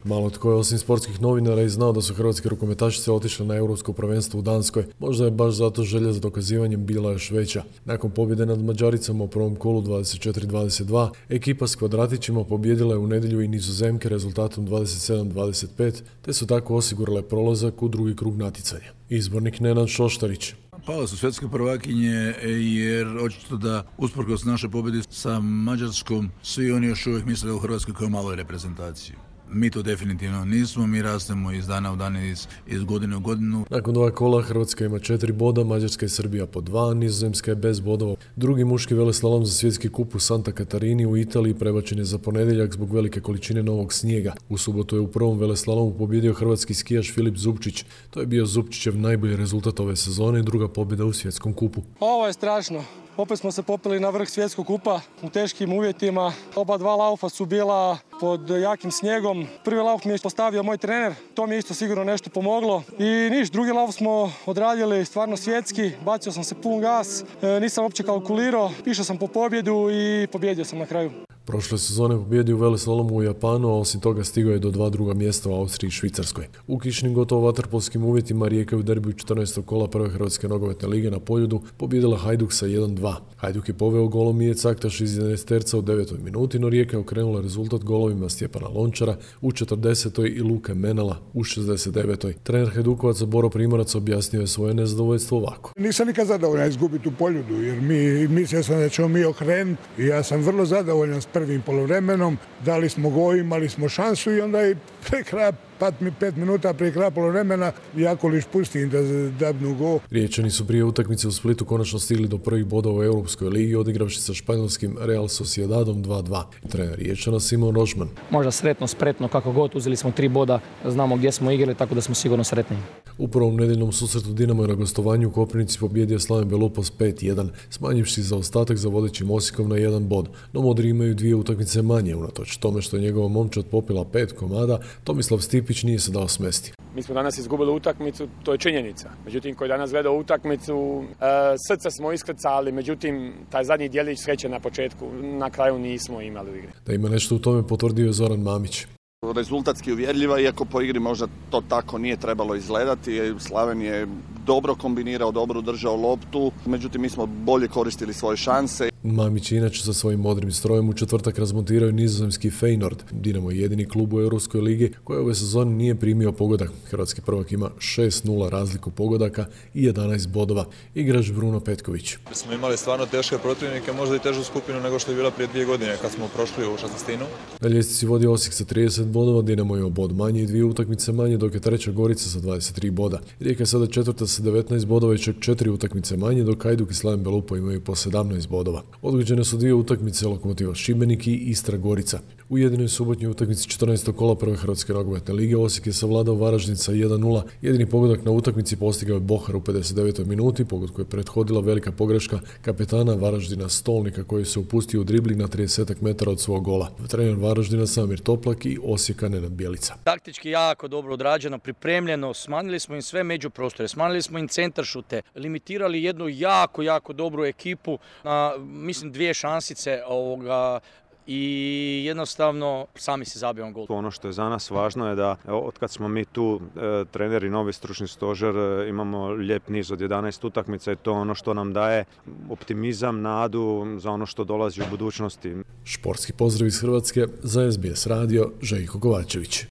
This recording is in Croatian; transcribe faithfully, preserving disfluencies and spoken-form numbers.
Malo tko je osim sportskih novinara i znao da su hrvatske rukometašice otišle na europsko prvenstvo u Danskoj. Možda je baš zato želja za dokazivanjem bila još veća. Nakon pobjede nad Mađaricama u prvom kolu dvadeset četiri dvadeset dva, ekipa s kvadratićima pobijedila je u nedjelju i Nizozemke rezultatom dvadeset sedam dvadeset pet, te su tako osigurale prolazak u drugi krug natjecanja. Izbornik Nenad Šoštarić. Pale su svjetske prvakinje jer očito da usprkos naše pobjede sa Mađarskom svi oni još uvijek misle u Hrvatskoj kao maloj reprezentaciji. Mi to definitivno nismo, mi rastemo iz dana u dan, iz, iz godine u godinu. Nakon dva kola Hrvatska ima četiri boda, Mađarska i Srbija po dva, Nizozemska je bez bodova. Drugi muški veleslalom za svjetski kup u Santa Katarini u Italiji prebačen je za ponedjeljak zbog velike količine novog snijega. U subotu je u prvom veleslalomu pobjedio hrvatski skijaš Filip Zupčić. To je bio Zupčićev najbolji rezultat ove sezone i druga pobjeda u svjetskom kupu. Ovo je strašno. Opet smo se popeli na vrh svjetskog kupa u teškim uvjetima. Oba dva laufa su bila pod jakim snijegom. Prvi lauf mi je postavio moj trener, to mi je isto sigurno nešto pomoglo. I niš, drugi lauf smo odradili stvarno svjetski, bacio sam se pun gas, e, nisam uopće kalkulirao, išao sam po pobjedu i pobjedio sam na kraju. Prošle sezone pobjedio u veleslalomu u Japanu, a osim toga stigao je do dva druga mjesta u Austriji i Švicarskoj. U kišnim gotovo vaterpolskim uvjetima Rijeka u derbiju četrnaestog kola prve Hrvatske nogometne lige na Poljudu pobjedila Hajduk sa jedan dva. Hajduk je poveo golom Mije Caktaš iz jedanaesterca u devetoj minuti, no Rijeka je okrenula rezultat golovima Stjepana Lončara u četrdesetoj i Luke Menela u šezdeset devetoj. Trener Hajdukovaca Boro Primorac objasnio je svoje nezadovoljstvo ovako. Nisam nikad zadovoljan izgubiti u Poljudu, jer mi mislio sam da ćemo mi okrenuti i ja sam vrlo zadovoljan s prvim poluvremenom. Dali smo gol, imali smo šansu i onda i pre kraja pet minuta prije kraja poluvremena Jakolić pusti im da dabnu gol. Riječani su prije utakmice u Splitu konačno stigli do prvih bodova u Europskoj ligi odigravši sa španjolskim Real Sociedadom dva dva. Trener Riječana Simon Rožman. Možda sretno, spretno, kako god, uzeli smo tri boda, znamo gdje smo igrali, tako da smo sigurno sretni. U prvom nedjeljnom susretu Dinamo je na gostovanju u Koprivnici pobjedio Slaven Belupo pet jedan, smanjivši zaostatak za vodećim Osijekom na jedan bod. No Modri imaju dvije utakmice manje, unatoč tome što je njegova momčad popila pet komada, Tomislav Stipić nije se dao smesti. Mi smo danas izgubili utakmicu, to je činjenica. Međutim, koji danas gleda utakmicu, e, srce smo iskrcali, međutim, taj zadnji dijelić sreće na početku, na kraju nismo imali u igri. Da ima nešto u tome potvrdio je Zoran Mamić. Rezultatski uvjerljiva, iako po igri možda to tako nije trebalo izgledati. Slaven je dobro kombinirao, dobro držao loptu, međutim mi smo bolje koristili svoje šanse. Mamić je inače sa svojim modrim strojem u četvrtak razmontirao nizozemski Feyenoord. Dinamo je jedini klub u Europskoj ligi koji ove sezone nije primio pogodak. Hrvatski prvak ima šest nula razliku pogodaka i jedanaest bodova. Igrač Bruno Petković. Smo imali stvarno teške protivnike, možda i težu skupinu nego što je bila prije dvije godine kad smo prošli u šesnaestinu. Na ljestvici vodi Osijek sa trideset bodova, Dinamo je bod manje i dvije utakmice manje, dok je treća Gorica sa dvadeset tri boda. Rijeka je sada četvrta sa devetnaest bodova i čak četiri utakmice manje, dok Hajduk i Slaven Belupo imaju po sedamnaest bodova. Odgođene su dvije utakmice Lokomotiva Šibenik i Istra Gorica. U jedinoj subotnjoj utakmici četrnaestog kola prve Hrvatske nogometne lige Osijek je savladao Varaždin sa jedan nula. Jedini pogodak na utakmici postigao je Bohar u pedeset devetoj minuti, pogod koju je prethodila velika pogreška kapetana Varaždina Stolnika koji se upustio u dribling na trideset metara od svog gola. Trener Varaždina Samir Toplak i Osijeka Nenad Bjelica. Taktički jako dobro odrađeno, pripremljeno, smanjili smo im sve međuprostore, smanjili smo im centar šute, limitirali jednu jako, jako dobru ekipu na, mislim, dvije šansice ovoga, i jednostavno sami se zabijamo gol. Ono što je za nas važno je da od kad smo mi tu e, treneri, novi stručni stožer, e, imamo lijep niz od jedanaest utakmica i to ono što nam daje optimizam, nadu za ono što dolazi u budućnosti. Športski pozdrav iz Hrvatske za S B S radio, Željko Kovačević.